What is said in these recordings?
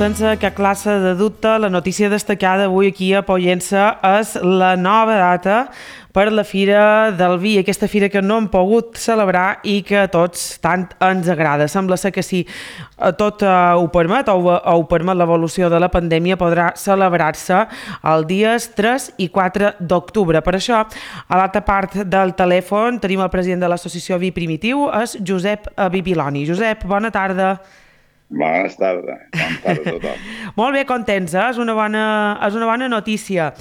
sense cap classe de dubte, la notícia destacada avui aquí a Pollença és la nova data per la Fira del Vi, aquesta fira que no hem pogut celebrar i que a tots tant ens agrada. Sembla ser que si tot ho permet o ho permet l'evolució de la pandèmia, podrà celebrar-se els dies 3 i 4 d'octubre. Per això, a l'altra part del telèfon tenim el president de l'associació Vi Primitiu, és Josep Bibiloni. Josep, bona tarda. Bona tarda a tothom. Molt bé, contents, és una bona notícia.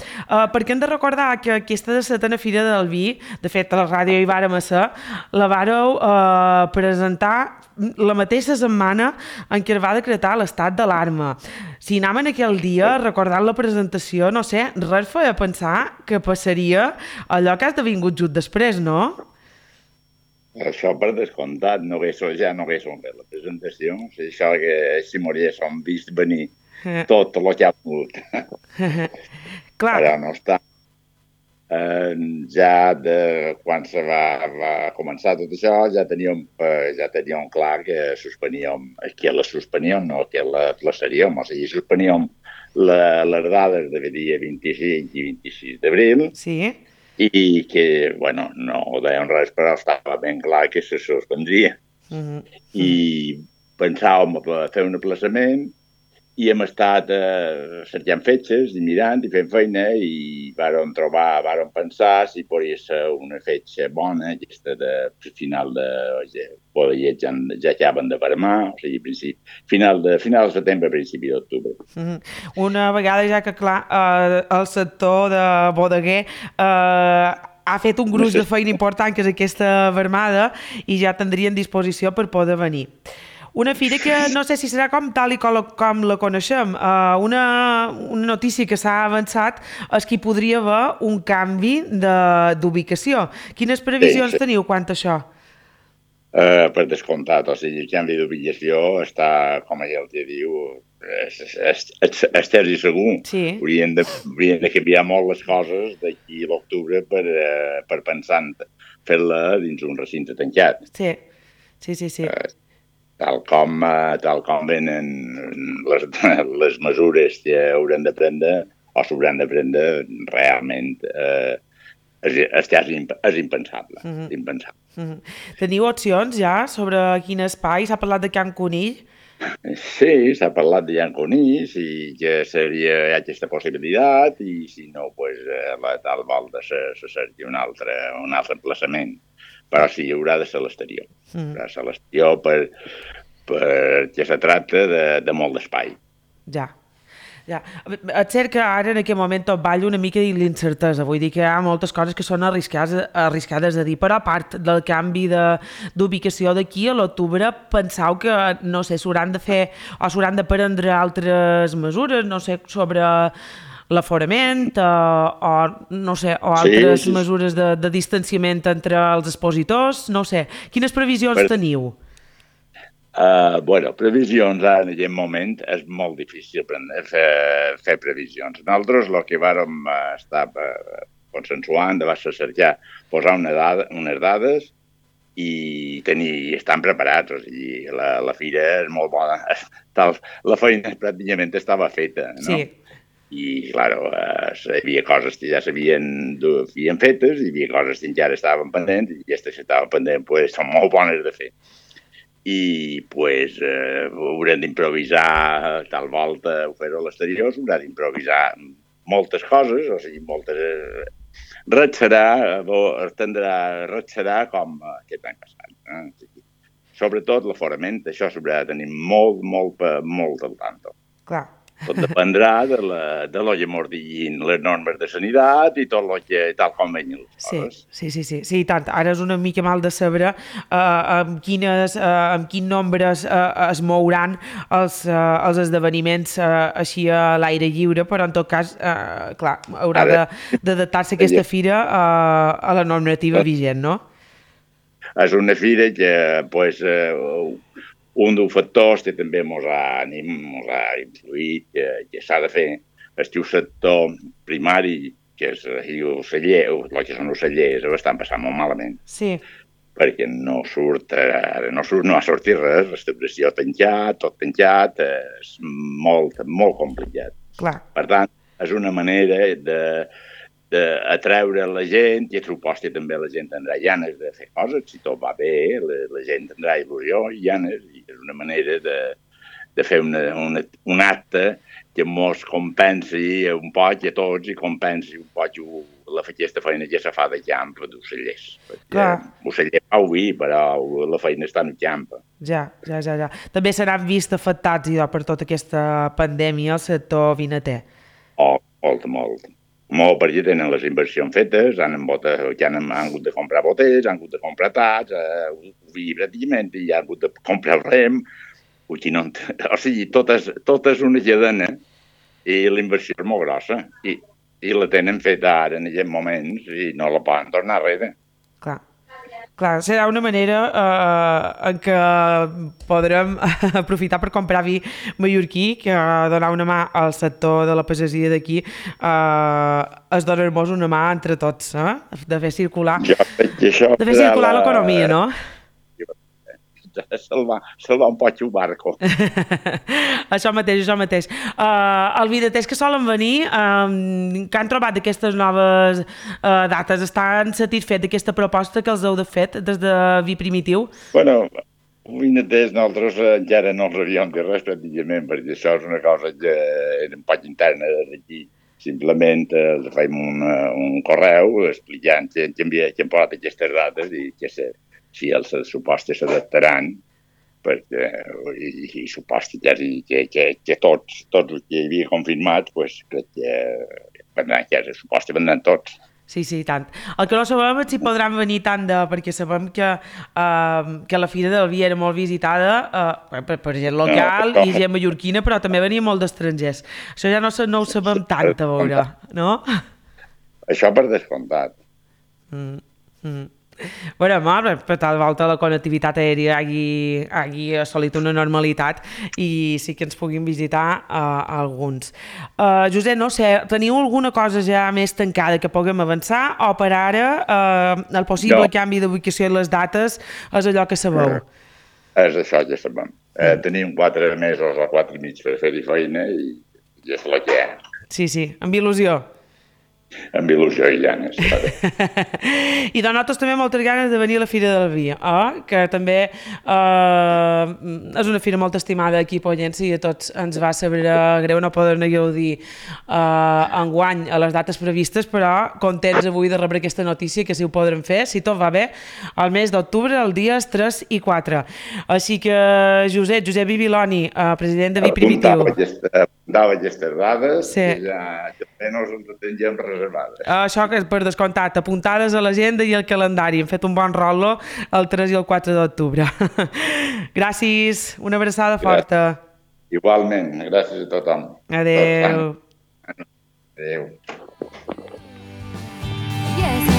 Perquè hem de recordar que aquesta de setena Fira del Vi, de fet a la ràdio hi vàrem ser, la vàreu presentar la mateixa setmana en què es va decretar l'estat d'alarma. Si anàvem aquell dia recordant la presentació, no sé, res feia pensar que passaria allò que has devingut just després, no? Això per descomptat, ja no haguéssim fet la presentació, això que si m'haguéssim vist venir tot el que ha volgut. Clar. Però no està. Ja quan se va començar tot això, ja teníem clar que suspeníem, que la suspeníem, no que la plaçaríem, o sigui, suspeníem les dades de dia 25 i 26 d'abril. Sí. I que, bueno, no dèiem res, però estava ben clar que se suspendria. I pensàvem fer un aplaçament i hem estat cercant fetges i mirant i fent feina i vàrem pensar si podria ser una fetge bona, aquesta de final de ja acaben de vermar, o sigui, final de setembre, principi d'octubre. Una vegada ja que, clar, el sector de bodeguer ha fet un gruix de feina important, que és aquesta vermada, i ja tindrien disposició per poder venir. Una fira que no sé si serà tal i com la coneixem. Una notícia que s'ha avançat és que hi podria haver un canvi d'ubicació. Quines previsions teniu quant a això? Per descomptat, o sigui, el canvi d'ubicació està, com ell te diu, estès i segur. Sí. Haurien de canviar molt les coses d'aquí a l'octubre per pensar en fer-la dins un recinte tancat. Sí. Tal com venen les mesures que haurem de prendre o s'hauran de prendre, realment és impensable. Teniu opcions ja sobre quin espai? S'ha parlat de Can Conill? Sí, s'ha parlat de Can Conill i que seria aquesta possibilitat i si no, la tal volta se cerqui un altre emplaçament. Però sí, haurà de ser l'exterior. Haurà de ser l'exterior perquè se tracta de molt d'espai. Ja. És cert que ara en aquest moment tot balla una mica de l'incertesa, vull dir que hi ha moltes coses que són arriscades de dir, però a part del canvi d'ubicació d'aquí a l'octubre, penseu que, no sé, s'hauran de fer o s'hauran de prendre altres mesures, no sé, sobre l'aforament o no sé, o altres mesures de distanciament entre els expositors, no sé. Quines previsions teniu? Previsions ara en aquest moment és molt difícil fer previsions. Nosaltres el que vàrem estar consensuant va ser cercar, posar unes dades i estan preparats. O sigui, la fira és molt bona. La feina pràcticament estava feta, no? Sí. I, clar, hi havia coses que ja s'havien fetes, hi havia coses que encara estaven pendents i aquestes que estaven pendents són molt bones de fer. I haurem d'improvisar tal volta ho fer-ho a l'exterior, haurà d'improvisar moltes coses, o sigui, res serà com aquest any passat. Sobretot l'aforament, això s'haurà de tenir molt al tanto. Clar. Tot dependrà de lo que mos diguin les normes de sanitat i tot tal com venien les coses. Sí, tant. Ara és una mica mal de saber amb quin nombre es mouran els esdeveniments així a l'aire lliure, però en tot cas, clar, haurà d'adaptar-se aquesta fira a la normativa vigent, no? És una fira que, un dels factors que també ens ha influït que s'ha de fer és que el sector primari, que és el celler, el que són els cellers, ho estan passant molt malament. Sí. perquè no ha sortit res, restauració tancat, tot tancat, és molt, molt complicat. Clar. Per tant, és una manera d'atreure la gent i suposta també la gent tindrà ganes de fer coses, si tot va bé, la gent tindrà il·lusió i ganes, i és una manera de fer un acte que ens compensi un poc a tots i compensi un poc aquesta feina que se fa de camp d'ocellers. Perquè oceller fa vi, però la feina està en el camp. Ja. També s'han vist afectats per tota aquesta pandèmia el sector vinater. Molt. Molt, perquè tenen les inversions fetes, han hagut de comprar botelles, han hagut de comprar taps, vi pràcticament, i han hagut de comprar el rem. O sigui, tot és una cadena i la inversió és molt grossa i la tenen feta ara en aquests moments i no la poden tornar enrere. Clar, serà una manera en què podrem aprofitar per comprar vi mallorquí, que donar una mà al sector de la pagesia d'aquí és donar-nos una mà entre tots, de fer circular l'economia, no? Salvar un poc el barco. Això mateix. Els vinaters que solen venir, que han trobat aquestes noves dates, estan satisfets d'aquesta proposta que els heu fet des de Vi Primitiu? Bueno, vinaters nosaltres encara no els havíem dit res pràcticament, perquè això és una cosa que era un poc interna d'aquí. Simplement els fem un correu explicant que hem posat aquestes dates i que si els supostes s'adaptaran, perquè i suposta que tots els que hi havia confirmat, crec que suposta vendran tots. Sí, tant. El que no sabem és si podran venir tant perquè sabem que la Fira del Vi era molt visitada per gent local i gent mallorquina, però també venia molt d'estrangers. Això ja no ho sabem tant, a veure, no? Això per descomptat. Bueno, per tal volta la connectivitat aèria hagi assolit una normalitat i sí que ens puguin visitar alguns. Josep, no sé, teniu alguna cosa ja més tancada que puguem avançar o per ara el possible canvi d'ubicació i les dates és allò que sabeu? És això que sabem. Tenim 4 mesos o 4 i mig per fer-hi feina i és el que hi ha. Sí, amb il·lusió. Amb il·lusió i ganes. I de nosaltres també moltes ganes de venir a la Fira del Vi, que també és una fira molt estimada aquí a Pollença i a tots ens va saber greu no poder-ne gaudir enguany a les dates previstes, però contents avui de rebre aquesta notícia que si ho podrem fer, si tot va bé, al mes d'octubre, els dies 3 i 4. Així que Josep Bibiloni, president de Vi Primitiu. Apuntava aquestes dades i ja també no ens teníem reservades. Això que és per descomptat, apuntades a l'agenda i al calendari. Hem fet un bon rolo el 3 i el 4 d'octubre. Gràcies, una abraçada forta. Igualment, gràcies a tothom. Adéu. Adéu. Yes.